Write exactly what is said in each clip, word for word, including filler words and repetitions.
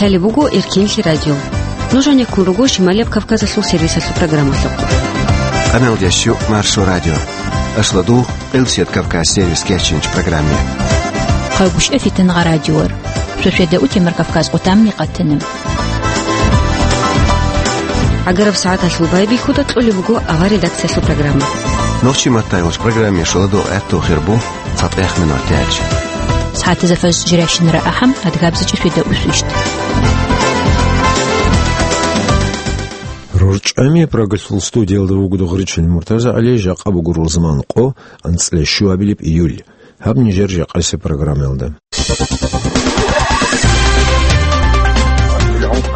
Лъалеб буго Эркенлъи радио. Нуж гьанеккун руго Шималияб Кавказалъул сервисалъул программалъухъ. Къаналдящу Маршо радио. Ашладу Къилсият Кавказ сервис кечинч программе. Хъагушев Фитнагъа радиор. Шошеда утемар Кавказ къутамни къатанам. Агараб сагӀаталъул байбихьуда кьолеб буго авар редакциялъул программа. Нохчи маттайгъуш программе шоладу гӀатту хирбу. ЦатӀехъ минуталъ. СагӀатазда фаз жирашинара ахӀам, адгабзичӀи шведа усвищ. РорчӀами Прагалъул студиялда вугода гъричил МуртазагӀали, жакъа буго рузман къо, анцӀила щуабилеб июль. Гьаб нижер жакъасеб программаялда.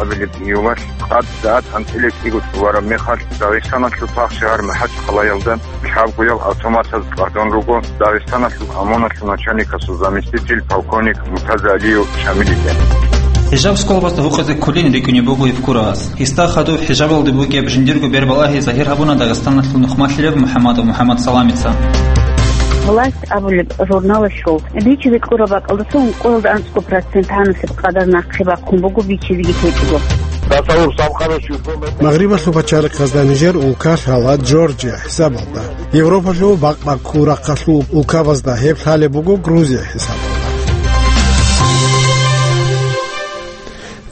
Абилеб июлалъ къад сагӀат анцӀила кӀиго цӀувараб мехалъ Дагъистаналъул пагь шагьар МахӀачхъалаялда лъабгоял автоматаз къватӀун руго Дагъистаналъул ОМОНалъул начальникасул заместитель полковник МуртазагӀалиев Шамилица. ХӀижаб сколбазда гьукъизе кколин рикӀкӀунеб буго Евкуровас. Гьесда хадуб хӀижабалде букӀияб жиндирго бербал-агьи загьир гьабуна Дагъистаналъул нухмалъулев МухӀаммадов МухӀаммад Саламица. Власть абулеб журналалъул бичизе кьураб бакӀалдаса ункъоялда анцӀго процент гьанасеб къадар нахъе бахъун буго бичизеги течӀого. Магърибалъул пачалихъазда нижер улка лъала Джорджия хӀисабалда. Европалъул бакъ-бакъул рахъалъул улкабазда гьеб лъалеб буго Грузия хӀисабалда.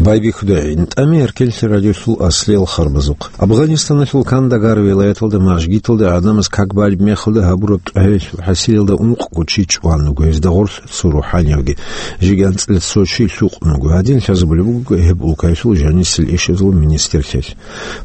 Байбихьуда гӀинтӀами Эркенлъи радиолъул аслиял харбазухъ. Афганистаналъул Кандагар вилаяталда мажгиталда гӀадамаз как балеб мехалда гьабураб тӀагӀелъул хӀасилалда ункъго чи чӀван вуго, гьезда гъорлъ цо рухӀаниявги, жеги анцӀила цо чи лъукъун вуго. Гьадин лъазабулеб буго гьеб улкаялъул жанисел ишазул министрлъиялъ.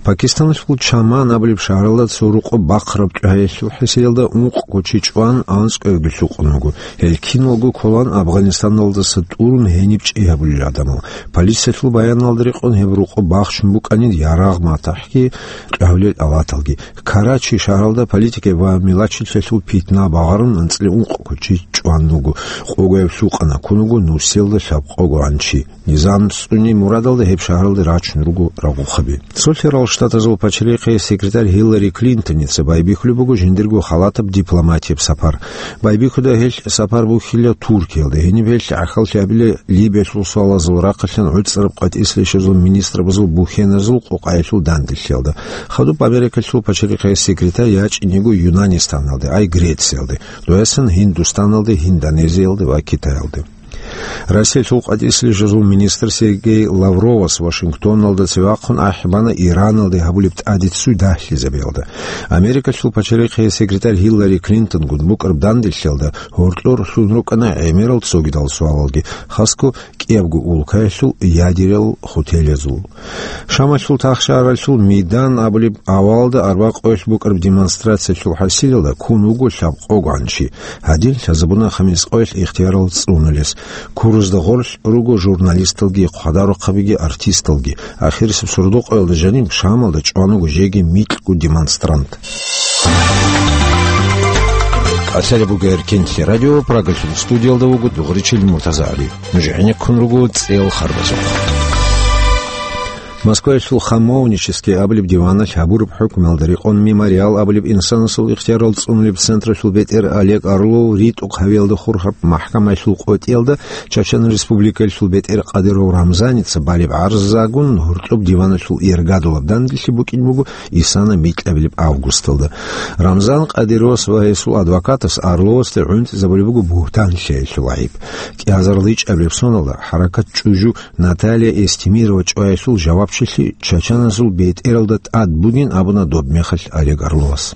Пакистаналъул Чаман абулеб шагьаралда цо рукъо бахъараб тӀагӀелъул хӀасилалда ункъго чи чӀван, анцӀкӀоявги лъукъун вуго. Гьел киналго кколан Афганистаналдаса тӀурун гьениб чӀей гьабулел гӀадамал. Полициялъул баяналда рекъон гьеб рукъо бахчун букӀанин ярагъ матахӀги, кьавлел аваталги. Карачи шагьаралда политикаялъул ва мелочилъиялъул питна багъарун анцӀила ункъго чи чӀван вуго, къогояб лъукъана, ккун вуго нусиялда лъабкъого гӀан чи. Низам цӀуни мурадалда гьеб шагьаралда рачун руго рагъухъаби. Цолъарал Штатазул пачалихъе секретарь Гьиллари Клинтоница байбихьулеб буго жиндирго халатаб дипломатияб сапар. Байбихьуда гьелъ сапар бухьила Туркиялда, гьениб гьелъ гӀахьаллъи абила Либиялъул суалазул рахъалъан гӀуцӀараб къватӀислъи ишазул министрабазул бухьеназул къокъаялъул данделъиялда. Хадуб Америкалъул пачалихъе секретарь ячӀине йиго Юнанистаналде, ай Грециялде, дугьасан Гьиндустаналде, Индонезиялде ва Китаялде. Россиялъул къватӀислъи ишазул министр Сергей Лавровас Вашингтоналда цеве вахъун ахӀи бана Ираналде гьабулеб тӀадиццуй дагьлъизабиялда. Америкалъул пачалихъе секретарь Гьиллари Клинтонгун букӀараб данделъиялда гьоркьор лъун рукӀана гӀемерал цогидал суалалги, хасго кӀиябго улкаялъул ядерал хотелазул. Шамалъул тахшаралъул Мидан абулеб авалда арбакъоялъ букӀараб демонстрациялъул хӀасилалда ккун вуго лъабкъого гӀан чи. Гьадин лъазабуна хамискъоялъ ихтиярал цӀунулес. Курузда гъорлъ руго журналисталги, хъвадарухъабиги, артисталги. Ахирисеб сордо-къоялда жаниб Шамалда чӀван вуго жеги микьго демонстрант. Къасире буго Эркенлъи радио, Прагалъул студиялда вуго дугӀричил МуртазагӀали. Нуж гӀенеккун руго цӀел харбазухъ. Москваялъул Хамовнический абулеб диваналъ гьабураб хӀукмуялда рекъон Мемориал абулеб инсанасул ихтиярал цӀунулеб централъул бетӀер Олег Орлов ритӀухъ гьавиялда хурхараб махӀкамаялъул къотӀиялда Чачан Республикаялъул бетӀер Кадыров Рамзаница балеб гӀарзагун гьоркьоб диваналъул иргадулаб данделъи букӀин буго исана микьабилеб августалда. Рамзан Кадыровас ва гьесул адвокатас Орловасде гӀунтӀизабулеб буго бугьтан лъеялъул гӀайиб. КӀиазариличӀабилеб соналда хӀаракат чӀужу Наталья Эстемирова чӀваялъул жавабчилъи чачаназул бетӀералда тӀад бугин абуна доб мехалъ Олег Орловас.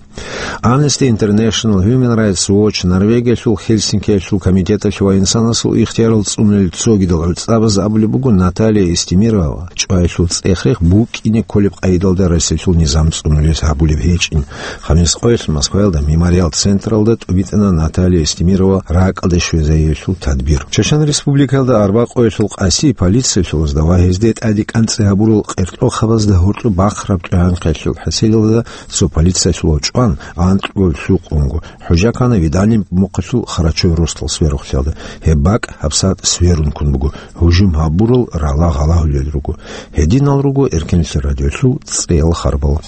Amnesty International, Human Rights Watch, Норвегиялъул Хельсинкиялъул комитеталъ ва инсанасул ихтиярал цӀунулел цогидал гӀуцӀабаз абулеб буго Наталья Эстемирова чӀваялъул цӀех-рех букӀине кколеб къайдалда Россиялъул низам цӀунулес гьабулеб гьечӀин. Хамис къоялъ Москваялда Мемориал централда тӀубитӀана Наталья Эстемирова ракӀалде щвезариялъул тадбир. Чачан Республикаялда арбакъоялъул къаси полициялъулазда ва гьезде тӀаде кӀанцӀи гьабурал къеркьохъабазда гьоркьоб бахъараб тӀагӀинхъалъул хӀасилалда цо полициялъулав чӀван, анкьго лъукъунго. ХӀужа ккана Виданин мухъалъул Харачой росдал сверухълъиялда. Гьеб бакӀ гьабсагӀат сверун ккун буго. Гьужум гьабурал рала гъалагьулел руго. Гьединал руго Эркенлъи радиолъул цӀеял харбал.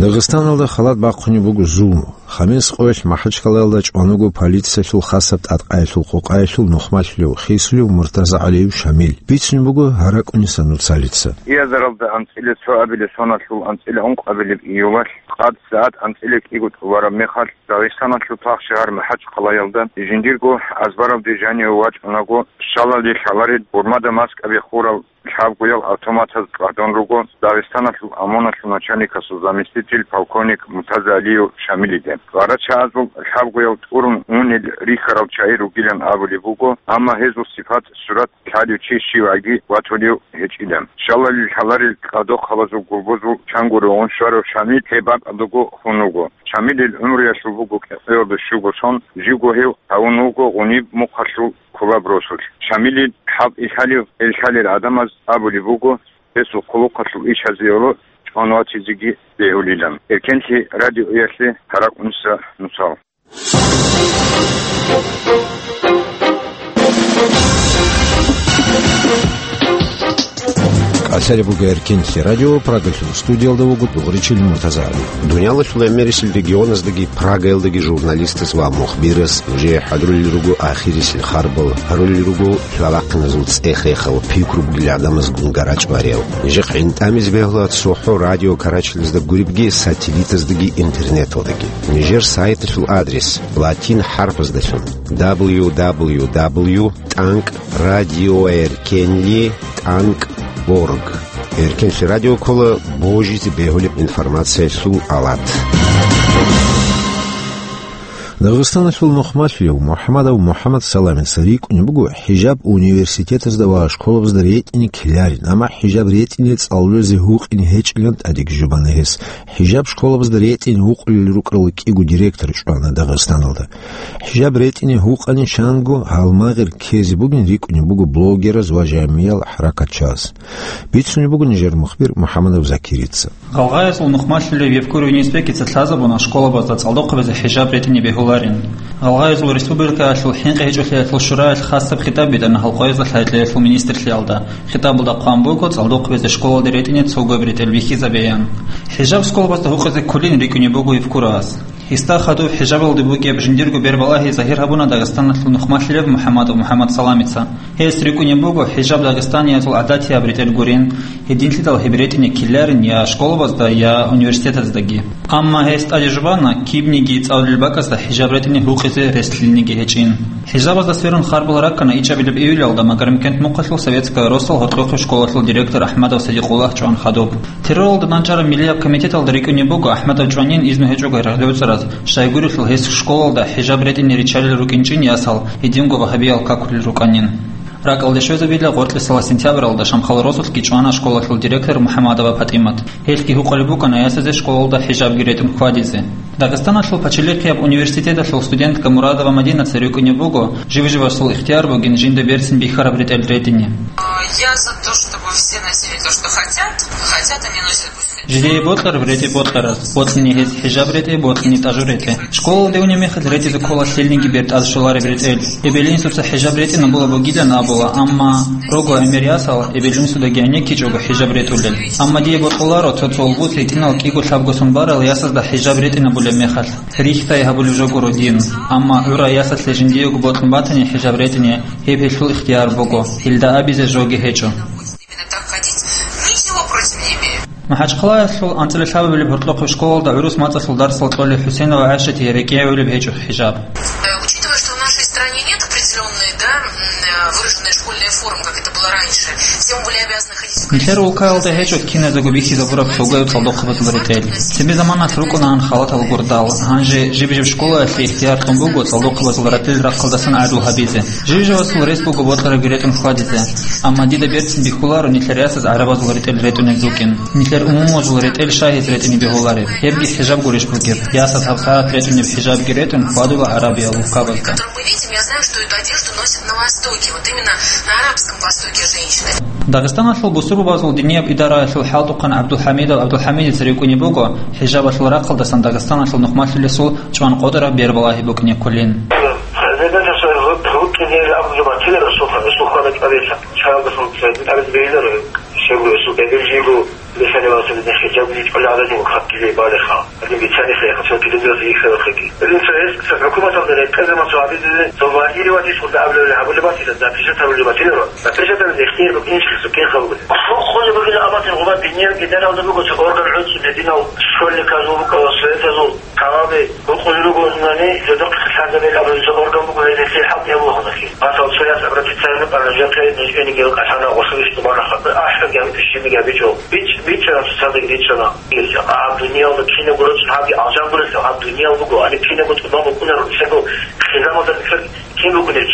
Дагъистаналда халат бахъунеб буго зулму. Хабенск къоялъ МахӀачкъалаялда чӀван вуго полициялъул хасаб тӀадкъаялъул къокъаялъул нухмалъулев, хисулев Муртазагьалиев Шамил. Бицунеб буго гьаракӀуниса нуцалица. Иазаралда анцӀила цо абилеб соналъул анцӀила ункъабилеб июлалъ къад сагӀат анцӀила кӀиго тӀубараб мехалъ, Дагъистаналъул пагьшагьар МахӀачкъалаялда жиндирго азбаралде жаниве вачӀунаго, щалалде лъаларел гурмада маскаби хурал лъабгоял автоматаз къадун руго Дагъистаналъул ОМОНалъул начальникасул заместитель полковник Муртазагьалиев Шамилиде. Гъарачагъазул лъабгоял тӀурун унел рихьарал чагӀи ругилан абулеб буго, амма гьезул сипат, сурат лъалев чи щивгӀаги ватулев гьечӀила. Щалалил лъаларел къадохъабазул гурбузул чангури гъун щварав Шамил гьеб бакӀалдаго хун вуго. Шамилил гӀумруялъул буго кӀикъоялда щуго сон, живго гьев гьавун вуго гъуниб мухъалъул кулаб росулъ. Шамилил хӀалтӀи лъалев, ил лъалел гӀадамаз абулеб буго, гьесул хъулухъалъул ишазеялъ чӀван ватизеги бегьулилан. Эркенлъи радиоялъе гьаракӀуниса нуцал. КӀалъалеб буго Эркенлъи радио, Прагалъул студиялда вуго дугӀричил Муртазагьали. Дуниялалъул гӀемерисел регионаздаги Прагаялдаги журналистаз ва мухбираз нужее хӀадурулел руго ахирисел харбал, гьарулел руго лъалахъиназул цӀех-рехал, пикру бугел гӀадамазгун гарачӀ бариял. Нижехъ гӀинтӀамизе бегьула цохӀо радио карачилазда гуребги, сателлитаздаги интернеталдаги. Нижер сайталъул адрес латин хӀарпаздалъун: дабл ю дабл ю дабл ю тӀанкӀ радиоэркенлъи тӀанкӀ орг. Эркенлъи радио ккола божизе бегьулеб информациялъул алат. Дагъистаналъул нухмалъулев МухӀамадов МухӀамад Саламица рикӀкӀунеб буго хӀижаб университетазда ва школабазда ретӀине ккеларин, амма хӀижаб ретӀине цӀалулезе гьукъине гьечӀилан тӀадеги жубана гьес. ХӀижаб школабазда ретӀине гьукъулел рукӀарал кӀиго директор чӀвана Дагъистаналда. ХӀижаб ретӀине гьукъани чанго гьалмагъ ккезе бугин рикӀкӀунеб буго блогераз ва жамиял хӀаракатчияз. Бицунеб буго нижер мухбир МухӀамадов Закирица. Гъалгъаязул нухмалъулев Евкуров Юнус-Бекица лъазабуна школабазда цӀалдохъабазе хӀижаб ретӀине бегьуларин. Гъалгъаязул республикаялъул хӀинкъи гьечӀолъиялъул шураялъ хасаб хитаб битӀана гьалкъоязда лъай-лъаялъул министрлъиялда. Хитабалда хъван буго цӀалдохъабазе школалде ретӀине цогояб ретӀел бихьизабеян. ХӀижаб школабазда гьукъизе кколин рикӀкӀунеб буго Евкуровас. Гьесда хадуб хӀижабалде букӀияб жиндирго бербалагьи загьир гьабуна Дагъистаналъул нухмалъулев МухӀамадов МухӀамад Саламица. Гьес рикӀкӀунеб буго хӀижаб дагъистаниязул гӀадатияб ретӀел гурин, гьединлъидал гьеб ретӀине ккеларин я школабазда, я университетаздаги. Амма гьес тӀаде жубана кибниги цӀалулел бакӀазда хӀижаб ретӀине гьукъизе рес-, лъилниги гьечӀин. ХӀижабазда сверун харбал раккана ичӀабилеб июлалда Магарамкент мухъалъул Советская росал гьоркьохъеб школалъул директор АхӀмадов Садикъуллагь чӀван хадуб. Терроралда нанчӀараб милияб комитеталда рикӀкӀунеб буго АхӀмадов чӀванин изну гьечӀого гӀергъи гӀуцӀараз, щайгурелъул гьес школалда хӀижаб ретӀине риччалел рукӀинчӀин ясал, гьединго вагьабиял какулел рукӀанин. РакӀалде щвезабила гъоркьлъи сентябралда Шамхал росулъги чӀвана школалъул директор МухӀамадова ПатӀимат. Гьелъги гьукъулеб букӀана ясазе школалда хӀижабги ретӀун хьвадизе. Дагъистаналъул пачалихъияб университеталъул студентка Мурадова Мадинаца рикӀкӀунеб буго, жив-живасул ихтияр бугин жинда берцин бихьараб ретӀел ретӀине. Я за то, чтобы все носили то, что хотят. Хотят они носят, пусть хотят. Жидее бокьараб ретӀи бокьараз, бокьине гьез хӀижаб ретӀи, бокьине тӀажу ретӀи. Школалде унеб мехалъ ретӀизе ккола лъилниги бертӀад щолареб ретӀел. Эбел-инсуца хӀижаб ретӀинабула бугилан абула, амма рого гӀемер ясал эбел-инсудаги гӀенеккичӀого хӀижаб ретӀулел. Амма дие бокьуларо цо-цо улбуц гьитӀинал кӀиго-лъабго сон барал ясазда хӀижаб ретӀинабулеб мехалъ. Рихьдай гьабулеб жо гуро дин. Амма гӀура ясалъе жиндиего бокьун батани хӀижаб ретӀине, гьеб гьелъул ихтияр буго, гьелда абизе жоги гьечӀо. Именно так ходить. Ничего против не имею. МахӀачхъалаялъул анцӀила лъабабилеб гьоркьохъеб школалда гӀурус мацӀалъул дарсал кьолел ХӀусейнова ГӀайшатие рекӀелъулеб гьечӀо хӀижаб. Э, учитывая, что в нашей стране нет определённой, да, м, э, выраженной школьной формы, как это было раньше, все мы были обязаны ходить в... Нилъер улкаялда гьечӀо киназего бихьизабураб цогояб цӀалдохъабазул ретӀел. Цебе заманалъ рукӀунаан халатал гурдал. Гьанже жиб-жиб школаялъе ихтияр кьун буго цӀалдохъабазул ретӀел рахъалдасан гӀадлу гьабизе. Жив-живасул рес буго бокьарабги ретӀун хьвадизе. Амма дида берцин бихьуларо нилъер ясаз гӀарабазул ретӀел ретӀунеб рукӀин. Нилъер умумузул ретӀел щай гьез ретӀине бегьулареб? Гьебги хӀижаб гурищ бугеб? Ясаз гьабсагӀат ретӀунеб хӀижабги ретӀун хьвадула ГӀарабиял улкабазда. Которые мы видим, я знаю, что эту одежду носят на Востоке, вот именно на Арабском Востоке женщины. Дагъистаналъул бусурбабазул динияб идараялъул хӀалтӀухъан ГӀабдулхӀамидов ГӀабдулхӀамидица рикӀкӀунеб буго, хӀижабалъул рахъалдасан Дагъистаналъул нухмалъулесул чӀван къотӀараб бербалагьи букӀине кколин. Гьанже дагьа ру-, рукӀине абулеб батила Расул, Расул хвада кӀалилъа. ЧагӀалдасан цояб абизе бегьиларо, щайгурелъул эбел жиго Бихьани ва сабидехъе жавги чӀваларани ва хъатизе балеха. Гьадин бицани хеха, цо телевизоралъ ихьарахъеги. Гьадин цо гьес, цо хӀукуматалда рекъезаман цо гьабизезе, цо вагьириватищ хъулда абулеб гьабулеб батила, запрещать гьабулеб батила, запрещать гьабизе ихтияр букӀинчӀо цо кин хабугули. Хо-, хъулеб бугила абатин гъуба диниял гьитӀинал гьабулеб буго цо орган гӀуцӀулеб динал, школьниказул букӀарал, советазул, Гьаваби, рукъули руго озунани, жодохъ лъазабил абураб жо орган буго, гьезие хӀалтӀи гьабула гьанахъе. Масал, цояс абратицайна пара жакъе нижгӀениги кьалъана гъосулищ тубана хатӀа, ахӀаги гьабитӀущибиги гьабичӀо. БичӀ-, бичӀчӀана цоцаздаги бичӀчӀана. Гьаб дуниялда кинабго рачӀун гьабги алжан гурелъул, гьаб дуниял буго, гьаниб кинабго тӀубан букӀунарун, цего хизамалда бихьар кин букӀунеб?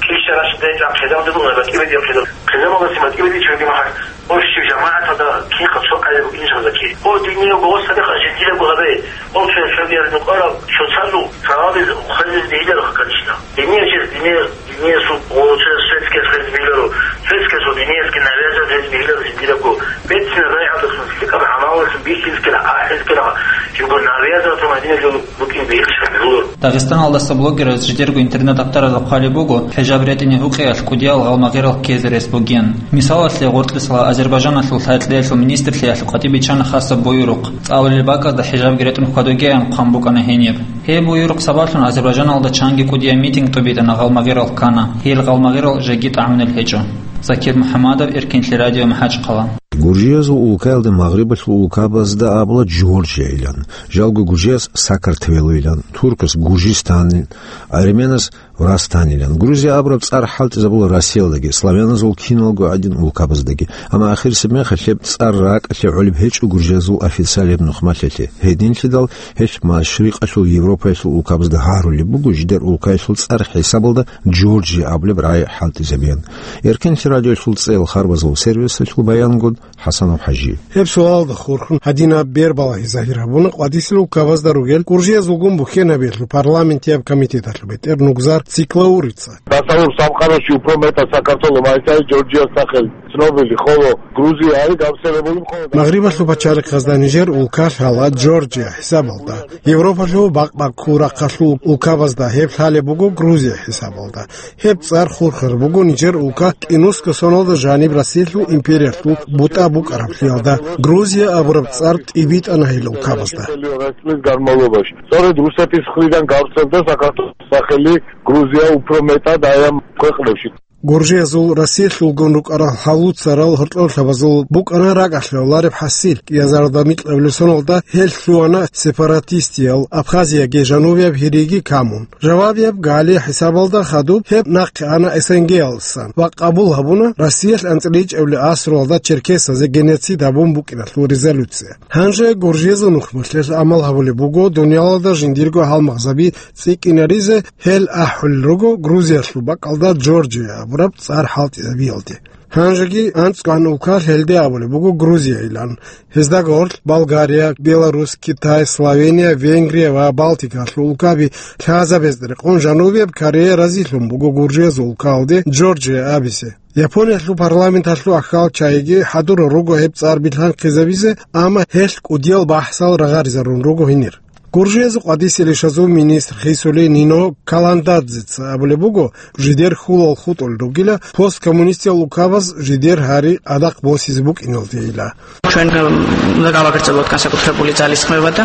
Килща рашидайчӀан хизамалда буго, батӀи бедил хизам. Хизамалдаси батӀи бедил чуги махӀал. Ощи жамагӀаталда кинха цо къайда букӀинчӀо заки. О, динияв гъос гьадехъа жиндирабго гьабе. О, цо цогияр нукъарал цоцазул савабиз хвезиз бигьиларо хъакъалъищна. Динияв чияс динияв, диниясул о, цо светскияс хвезиз бигьиларо. Светскиясул диниясги навязать гьез бигьиларо жиндирабго. Бецина рагӀалдасан лъикӀаб гӀамалалъун бихьизккила, ахӀизккила, жиндирго навязать гьабун гьадинаб жо букӀин бихьизккила бигьуларо. Дагъистаналдаса блогераз жидерго интернет-авторазда хъвалеб буго, хӀижаб ретӀине гьукъиялъ кӀудиял гъалмагъирал ккезе рес бугин. Мисалалъе, гъоркьисала Азербайжаналъул лъай-кьеялъул министрлъиялъ къватӀиб биччана хасаб буюрухъ, цӀалулеб бакӀазда хӀижабги ретӀун хьвадугеян хъван букӀана гьениб. Гьеб буюрухъ сабаблъун Азербайжаналда чанги кӀудияб митинг тӀубитӀана, гъалмагъирал ккана. Гьел гъалмагъирал жеги тӀагӀунел гьечӀо. Закир МухӀаммадов, Эркинлъи радио, МахӀачхъала. Гуржиязул улкаялда магърибалъул улкабазда абула Джорджия илан, жалго гуржияс Сакартвело илан, туркас Гужистан, арменас Врастан илан. Грузия абураб цӀар хӀалтӀизабула Россиялдаги, славяназул киналго гӀадин улкабаздаги. Амма ахирисеб мехалъ гьеб цӀар ракӀалъе гӀолеб гьечӀо гуржиязул официалияб нухмалъалъе. Гьединлъидал гьелъ Машрикъалъул Европаялъул улкабазда гьарулеб буго, жидер улкаялъул цӀар хӀисабалда Джорджия абулеб рагӀи хӀалтӀизабеян. Эркинлъи радиоялъул цӀеял харбазул сервисалъул баянгун, ХӀасанов ХӀажи. Гьеб суалалда хурхун гьадинаб бербалагьи загьир гьабуна къватӀисел улкабазда ругел гуржиязулгун бухьенабиялъул парламентияб комитеталъул бетӀер Нугзар Циклаурица. Дасавур саб къаралъ чи упро метӀа сакартоло майсай Джорджия сахел цнобили холо Грузия гьари габсерабулеб холо. Магърибалъул пачалихъазда нижер улка лъала Джорджия хӀисабалда. Европалъул бакъ-бакъул рахъалъул улкабазда гьеб лъалеб буго Грузия хӀисабалда. Гьеб цӀар хурхар буго нижер улка кӀинусго соналда жаниб Россиялъул империялъул бутӀа букӀараблъиялда. Грузия абураб цӀар тӀибитӀана гьел улкабазда. Цорид Русетис хъвидан габцалда сакартоло сахели Грузия упро метӀа даян квекълъевщи. Гуржиязул Россиялъулгун рукӀарал гьалуцарал гьоркьоблъабазул букӀана ракӀалъе гӀолареб хӀасил. Кьиазарда микьабилеб соналда гьел лъугьана сепаратистиял Абхазияги жанубияб Гьириги камун. Жавабияб гали хӀисабалда хадуб гьеб нахъе ана СНГ-ялдасан ва къабул гьабуна Россиялъ анцӀила ичӀабилеб асруялда черкесазе геноцид гьабун букӀиналъул резолюция. Гьанже гуржиязул нухмалъе гӀамал гьабулеб буго дуниялалда жиндирго гьалмагъзаби цӀикӀкӀинаризе. Гьел ахӀулел руго Грузиялъул бакӀалда Джорджия абураб цӀар хӀалтӀизабиялде. Гьанжеги анцӀгоян улкалъ гьелде абулеб буго Грузия илан. Гьезда гъорлъ Болгария, Беларусь, Китай, Словения, Венгрия ва Балтикалъул улкаби лъазабезда рекъон Жанубияб Корея разилъун буго Гуржиязул улкалде Джорджия абизе. Япониялъул парламенталъул ахьал чагӀиги хӀадурал руго гьеб цӀар билгьанхъизабизе, амма гьелъ кӀудиял бахӀсал рагъаризарун руго гьенир. Гуржиязул къватӀисел ишазул министр хисулей Нино Каландадзеца абулеб буго, жидер хьулал хутӀулел ругила посткоммунистиял улкабаз жидер гьари адахъ босизе букӀиналдейила. Ჩვენ უნდა გავაგრძელოთ განსაკუთრებული ძალისხმევა და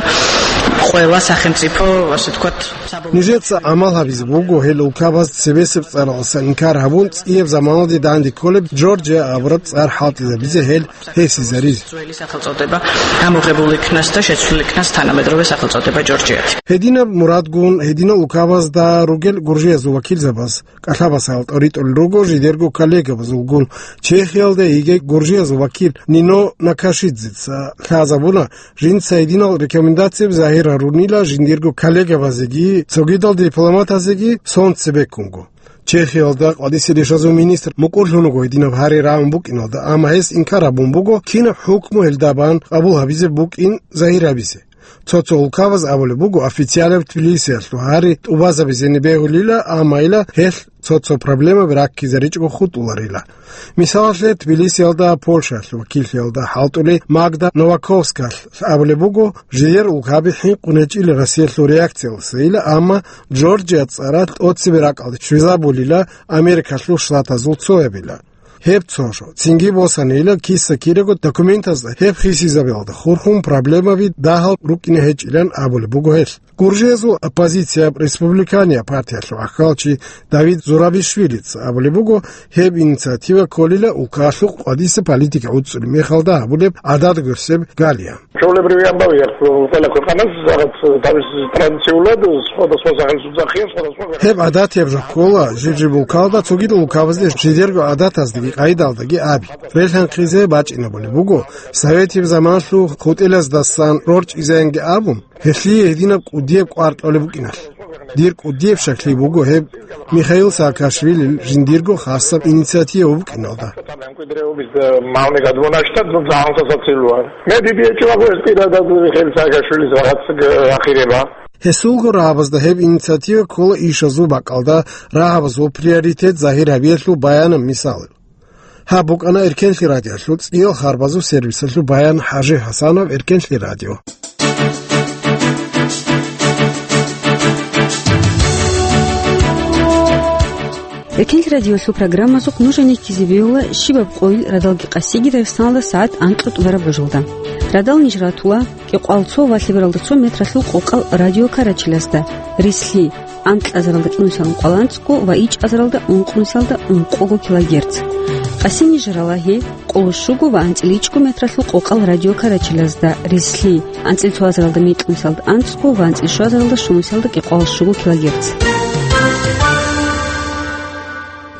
ყველა სახელმწიფო, ასე ვთქვათ, საბოლოო Нижеца гӀамал гьабизе буго гьел улкабаз цебесеб цӀаралдасан инкар гьабун, цӀияб заманалде данде кколеб Джорджия абураб цӀар хӀалтӀизабизе гьел гьесизаризе. ძველი სახელწოდება გამოღებულ იქნას და შეცვლილ იქნას თანამედროვე სახელწოდება ჯორჯიათი. Гьединаб мурадгун, гьединал улкабазда ругел гуржиязул вакилзабаз кӀалъабасал тӀоритӀулел руго жидерго коллегабазулгун. Чехиялда йигей гуржиязул вакил Нино Накашидзеца лъазабуна, жинца гьединал рекомендацияб загьир гьарунила жиндирго коллегабазеги, цогидал дипломатазеги сон цебеккунго. Чехиялда къватӀисел ишазул министр мукӀурлъун вуго гьединаб гьари рагӀун букӀиналда, амма гьес инкар гьабун буго, кинаб хӀукму гьелда бан къабул гьабизе букӀин загьир гьабизе. Цо-цо улкабаз абулеб буго, официалаб Тбилисиялъул гьари тӀубазабизеги бегьулила, амма ила гьелъ цо-цо проблемаби раккизаричӀого хутӀуларила. Мисалалъе, Тбилисиялда Польшаялъул вакиллъиялда хӀалтӀулей Магда Новаковскалъ абулеб буго, жидер улкаби хӀинкъун гьечӀила Россиялъул реакциялдасайила, амма Джорджия цӀаралъ тӀоцебе ракӀалде щвезабулила Америкалъул Штатазул цоябила. Гьеб цо жо. Цинги босанила киса-кираго документазда гьеб хисизабиялда хурхун проблемаби дагьал рукӀине гьечӀилан абулеб буго гьелъ. Гуржиязул оппозицияб «Республикания» партиялъул ахӀалчи Давид Зурабишвилица абулеб буго, гьеб инициатива кколила улкалъухъ къвадиса политика гӀуцӀулеб мехалда гьабулеб гӀадад гурсеб галия. Чолеб ривиан бавиахъ, кӀвала квекъанас, загъат, тавис традициулад, схода сво сахил судзахъин, схода сво. Гьеб гӀадат гьеб жо ккола, жиб-жиб улкалда цогидал улкабазде жидерго гӀадатаздаги къайдалдаги аби. Релъанхъизе бачӀинабулеб буго, советиб заманалъул хутӀилаздасан рорчӀизаянги абун, гьелъие гьединаб кӀудияб кӀвар кьолеб букӀиналъ. Дир кӀудияб щаклъи буго гьеб Михаил Саакашвилил жиндирго хасаб инициатива букӀиналда. Гьесулго рагьабазда гьеб инициатива ккола ишазул бакӀалда рагьабазул приоритет загьир гьабиялъул баянаб мисалал. Гьаб букӀана Эркенлъи радиолъул цӀиял харбазул сервисалъул баян. ХӀажи ХӀасанов, Эркенлъи радио. Эркенлъи радиолъул программазухъ нуж гьенеккизе бегьула щибаб къойил радалги къасиги Дагъистаналда сагӀат анкьго тӀубараб божалда. Радал ниж ратула кӀикъоялда цо ва лъебералда цо метралъул къокъал радиокарачилазда, рислъи, анкьазаралда кӀинусиялда ункъоялда анцӀго ва ичӀазаралда ункънусиялда ункъого килогерц. Къасин ниж рала гьеб къоло щуго ва анцӀила ичӀго метралъул къокъал радиокарачилазда, рислъи, анцӀила цоазаралда микьнусиялда анцӀго ва анцӀила щуазаралда щунусиялда кӀикъоялда щуго килогерц.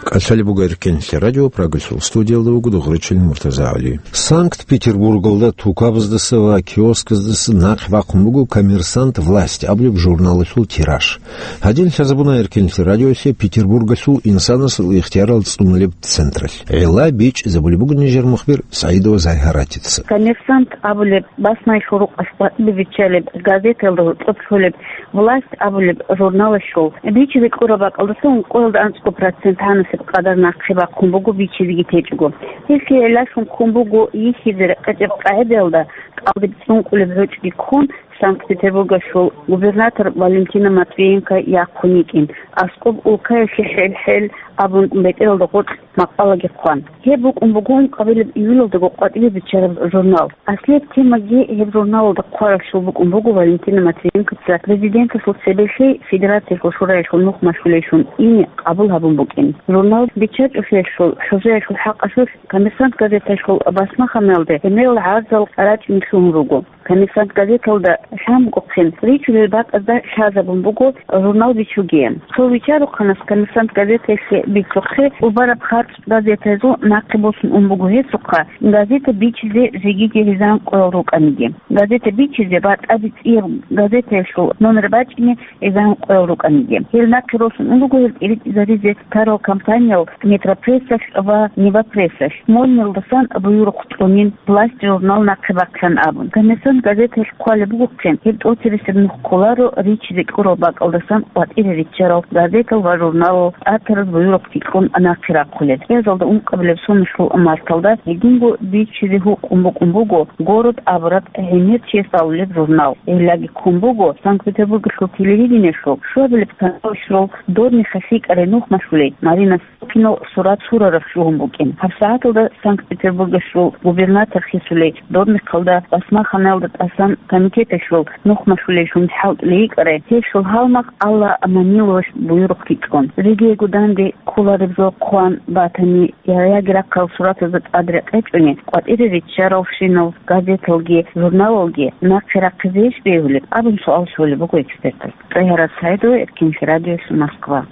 КӀалъалеб буго Эркенлъи радио, Прагалъул студиялда вуго Дугъричилин Муртазагьали. Санкт-Петербургалда тукабаздаса ва киосказдаса нахъе бахъун буго «Коммерсант», «Власть» абулеб журналалъул тираж. Гьадин лъазабуна Эркенлъи радиолъе Петербургалъул инсанасул ихтиярал цӀунулеб централъ. ГӀилла бичӀчӀизабулеб буго нижер мухбир СагӀидова Зайгьаратица. «Коммерсант» абулеб басмаялъул рукъалъ къватӀибе биччалеб газеталда гьоркьоб лъолеб «Власть» абулеб журналалъул бичизе кьураб бакӀалдаса ункъоялда анцӀго процент гьанасеб къадар нахъе бахъун буго бичизеги течӀого. Гьелъие гӀиллалъун ккун буго йихьизе рекъечӀеб къагӀидаялда кӀалдиб цӀункӀулеб гӀучӀги ккун, Санкт-Петербургалъул губернатор Валентина Матвиенко яхъун йикӀин, аскӀоб улкаялъе хӀел-хӀел абун бетӀералда гъоркь макъалаги хъван. Гьеб букӀун буго ункъабилеб июлалдаго къватӀибе биччараб журнал. Аслияб темаги гьеб журналалда хъваралъул букӀун буго Валентина Матвиенкоца Президенталъул цебе лъей Федерациялъул Шураялъул нух машгьулейщун ине къабул гьабун букӀин. Журнал биччачӀулъиялъул хӀужаялъул хӀакъалъулъ «Коммерсант» газеталъул басмаханалде гӀемерал гӀарзал рачӀине лъугьун руго. «Коммерсант» газеталда лъан бугохъин, ричулел бакӀазда лъазабун буго журнал бичугеян. Цо вичарухъанас «Коммерсант» газеталъе бицухъе, убараб харцӀ газетазул нахъе босун ун буго гьесухъа, газета бичизе жегиги гьезан къоял рукӀаниги. Газета бичизе ва тӀаде цӀияб газетаялъул номер бачӀине гьезан къоял рукӀаниги. Гьел нахъе росун ун руго гьел тӀиритӀизаризе тарал компаниял «Метропрессалъ» ва «Невопрессалъ». Мойнилдасан буюрухъ цӀунин, «Власть» журнал нахъе бахъилан абун. «Коммерсант» газеталъ хъвалеб бугохъин, гьеб тӀоцебесеб нух кколаро ричизе кьурал бакӀалдасан къватӀире риччарал газетал ва журналал тӀатараз буюрухъги кьун нахъе рахъулел. КӀиазалда ункъабилеб соналъул марталда гьединго бичизе гьукъун букӀун буго «Город» абураб гӀемер чияс балулеб журнал. Гьеллаги ккун буго Санкт-Петербургалъул телевидениялъул щуабилеб каналалъул дорнихъа лъикӀарай нух машгьулей Марина Сопинал сурат-сураразда лъугьун букӀин. ГьабсагӀаталда Санкт-Петербургалъул губернатор хисулей дорнихъалда басмаханалда тӀасан комитеталъул нух машгьулей жундихӀал кьейикӀарай гьелъул гьалмагъ Алла Маниловалъ буюрухъги кьун. Жидеего данде кколареб жо хъван батани, я яги рахъал суратазда тӀад рекъечӀони, къватӀире риччаралщинал газеталги, журналалги нахъе рахъизейищ бегьулеб абун суал щолеб буго экспертаз. ТӀагьират СагӀидова, Эркенлъи радиоялъ, Москва.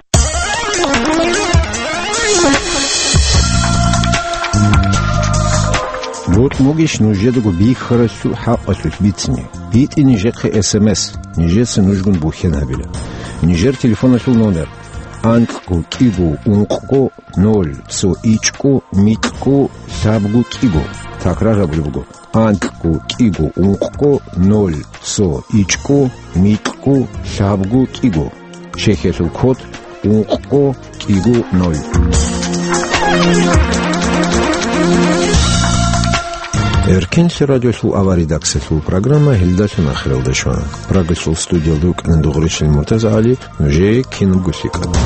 БутӀ бугищ нужедаго бихьаралъул хӀакъалъулъ бицине? БитӀе нижехъе эс эм эс, нижеца нужгун бухьен гьабила. Нижер телефоналъул номер: анкьго кӀиго ункъго ноль цо ичӀго микьго лъабго кӀиго. Такрар гьабулеб буго: анкьго кӀиго ункъго ноль цо ичӀго микьго лъабго кӀиго. Чехиялъул код: ункъго кӀиго ноль. Эркенлъи радиолъул авария редакциялъул программа гьелдалъун ахиралде щвана. Прагалъул студиялда вукӀана Дугъричилин Муртазагьали. Нужее кинабго лъикӀаб.